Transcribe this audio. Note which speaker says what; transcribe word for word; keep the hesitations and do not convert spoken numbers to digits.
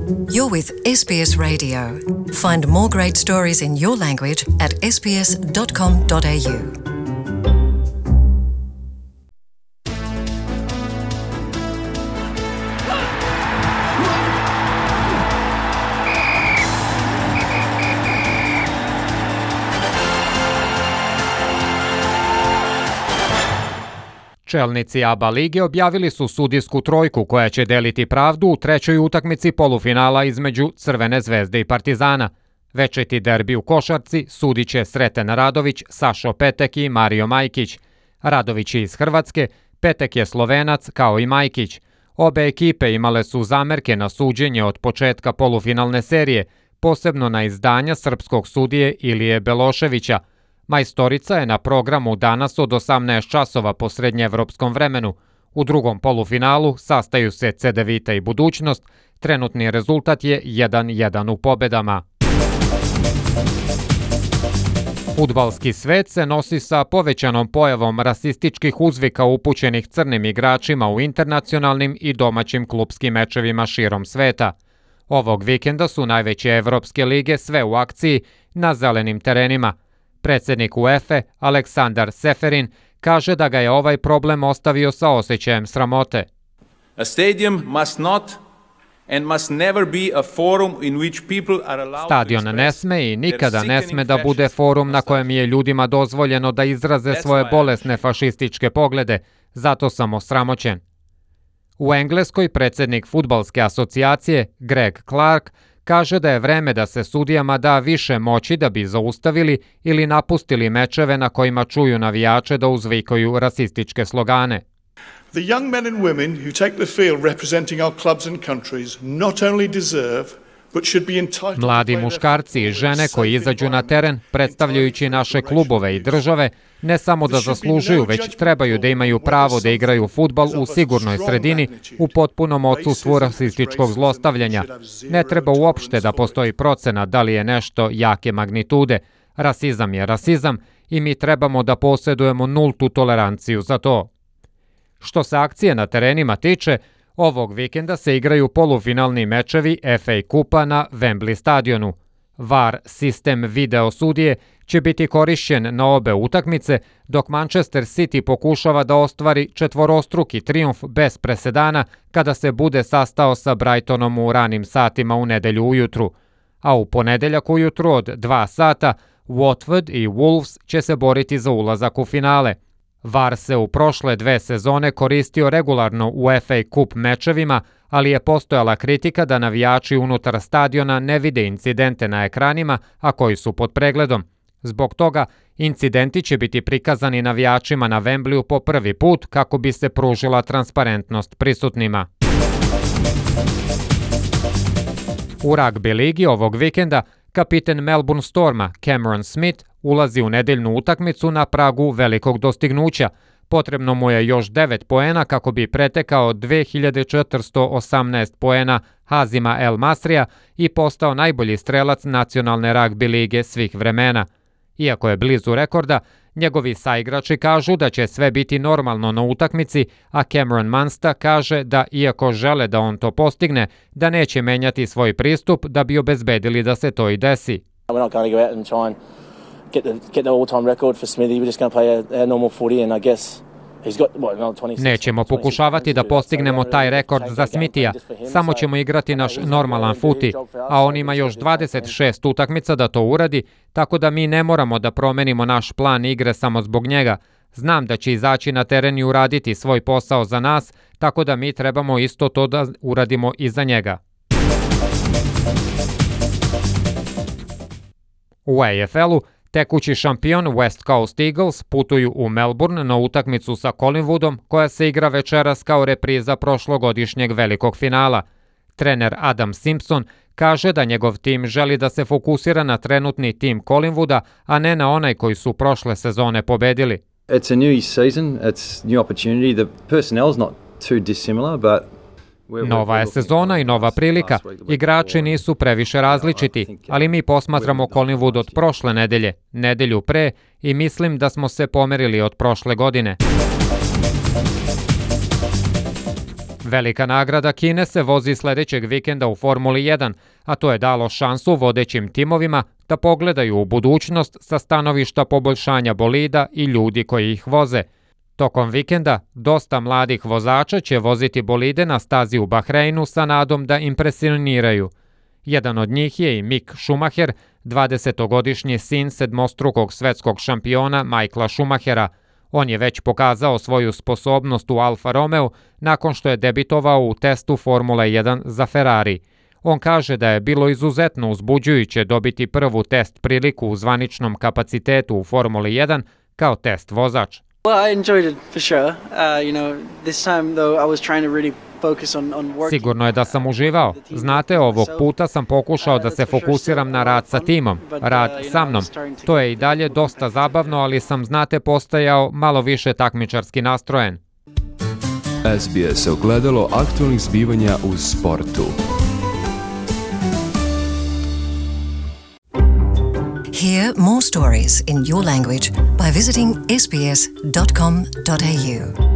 Speaker 1: You're with S B S Radio. Find more great stories in your language at s b s dot com dot a u.
Speaker 2: Čelnici A B A lige objavili su sudijsku trojku koja će deliti pravdu u trećoj utakmici polufinala između Crvene zvezde i Partizana. Večiti derbi u košarci sudit će Sreten Radović, Sašo Petek i Mario Majkić. Radović je iz Hrvatske, Petek je Slovenac kao i Majkić. Obe ekipe imale su zamerke na suđenje od početka polufinalne serije, posebno na izdanja srpskog sudije Ilije Beloševića. Majstorica je na programu danas od osamnaest časova po srednjeevropskom vremenu. U drugom polufinalu sastaju se Cedevita i Budućnost. Trenutni rezultat je jedan jedan u pobedama. Fudbalski svet se nosi sa povećanom pojavom rasističkih uzvika upućenih crnim igračima u internacionalnim i domaćim klupskim mečevima širom sveta. Ovog vikenda su najveće evropske lige sve u akciji na zelenim terenima. Predsjednik UEFA Aleksandar Seferin kaže da ga je ovaj problem ostavio sa osjećajem sramote.
Speaker 3: A stadium must not and must never be a forum in which people are allowed
Speaker 2: Stadion ne sme i nikada ne sme da bude forum na kojem je ljudima dozvoljeno da izraze svoje bolesne fašističke poglede, zato sam osramoćen. U Engleskoj predsjednik fudbalske asocijacije Greg Clark kaže da je vreme da se sudijama da više moći da bi zaustavili ili napustili mečeve na kojima čuju navijače da uzvikaju rasističke slogane.
Speaker 4: The young men and women who take the field representing our clubs and countries not only deserve but should be entitled.
Speaker 2: Mladi muškarci i žene koji izađu na teren predstavljajući naše klubove i države ne samo da zaslužuju, već trebaju da imaju pravo da igraju fudbal u sigurnoj sredini u potpunom odsustvu rasističkog zlostavljanja. Ne treba uopšte da postoji procena da li je nešto jake magnitude. Rasizam je rasizam i mi trebamo da posjedujemo nultu toleranciju za to. Što se akcije na terenima tiče, ovog vikenda se igraju polufinalni mečevi F A kupa na Wembley stadionu. V A R sistem video sudije će biti korišćen na obe utakmice, dok Manchester City pokušava da ostvari četvorostruki trijumf bez presedana kada se bude sastao sa Brightonom u ranim satima u nedelju ujutru. A u ponedeljak ujutru od dva sata Watford i Wolves će se boriti za ulazak u finale. V A R se u prošle dve sezone koristio regularno u F A kup mečevima, ali je postojala kritika da navijači unutar stadiona ne vide incidente na ekranima, a koji su pod pregledom. Zbog toga, incidenti će biti prikazani navijačima na Wembleyu po prvi put kako bi se pružila transparentnost prisutnima. U ragbi ligi ovog vikenda kapiten Melbourne Storma Cameron Smith ulazi u nedeljnu utakmicu na pragu velikog dostignuća. Potrebno mu je još devet poena kako bi pretekao dve hiljade četiristo osamnaest poena Hazima El Masrija i postao najbolji strelac nacionalne ragbi lige svih vremena. Iako je blizu rekorda, njegovi saigrači kažu da će sve biti normalno na utakmici, a Cameron Munster kaže da iako žele da on to postigne, da neće menjati svoj pristup da bi obezbedili da se to i desi.
Speaker 5: We're not going to go out and try and get the get the all-time record for Smithy. We're just going to play a, a normal footy, and I guess he's got what, another twenty-six.
Speaker 2: Nećemo pokušavati da postignemo taj rekord za Smithija. Samo ćemo igrati naš normalan futi, a on ima još dvadeset šest utakmica da to uradi, tako da mi ne moramo da promenimo naš plan igre samo zbog njega. Znam da će izaći na teren i uraditi svoj posao za nas, tako da mi trebamo isto to da uradimo i za njega. U A F L-u tekući šampion West Coast Eagles putuju u Melbourne na utakmicu sa Collingwoodom koja se igra večeras kao repriza prošlogodišnjeg velikog finala. Trener Adam Simpson kaže da njegov tim želi da se fokusira na trenutni tim Collingwooda, a ne na onaj koji su prošle sezone pobedili.
Speaker 6: It's a new season, it's new opportunity. The personnel's not too dissimilar, but
Speaker 2: Nova je sezona i nova prilika. Igrači nisu previše različiti, ali mi posmatramo Collingwood od prošle nedelje, nedelju pre, i mislim da smo se pomerili od prošle godine. Velika nagrada Kine se vozi sljedećeg vikenda u Formuli jedan, a to je dalo šansu vodećim timovima da pogledaju u budućnost sa stanovišta poboljšanja bolida i ljudi koji ih voze. Tokom vikenda dosta mladih vozača će voziti bolide na stazi u Bahreinu sa nadom da impresioniraju. Jedan od njih je i Mick Schumacher, dvadesetogodišnji sin sedmostrukog svetskog šampiona Michaela Schumachera. On je već pokazao svoju sposobnost u Alfa Romeo nakon što je debitovao u testu Formule jedan za Ferrari. On kaže da je bilo izuzetno uzbuđujuće dobiti prvu test priliku u zvaničnom kapacitetu u Formuli jedan kao test vozač.
Speaker 7: Well, I enjoyed it for sure. Uh, you know, this time though I was trying to really focus on on working.
Speaker 2: Sigurno je da sam uživao. Znate, ovog puta sam pokušao da se fokusiram na rad sa timom, rad sa mnom. To je i dalje dosta zabavno, ali sam, znate, postajao malo više takmičarski nastrojen.
Speaker 8: S B S ogledalo aktualnih zbivanja u sportu.
Speaker 1: Hear more stories in your language by visiting s b s dot com dot a u.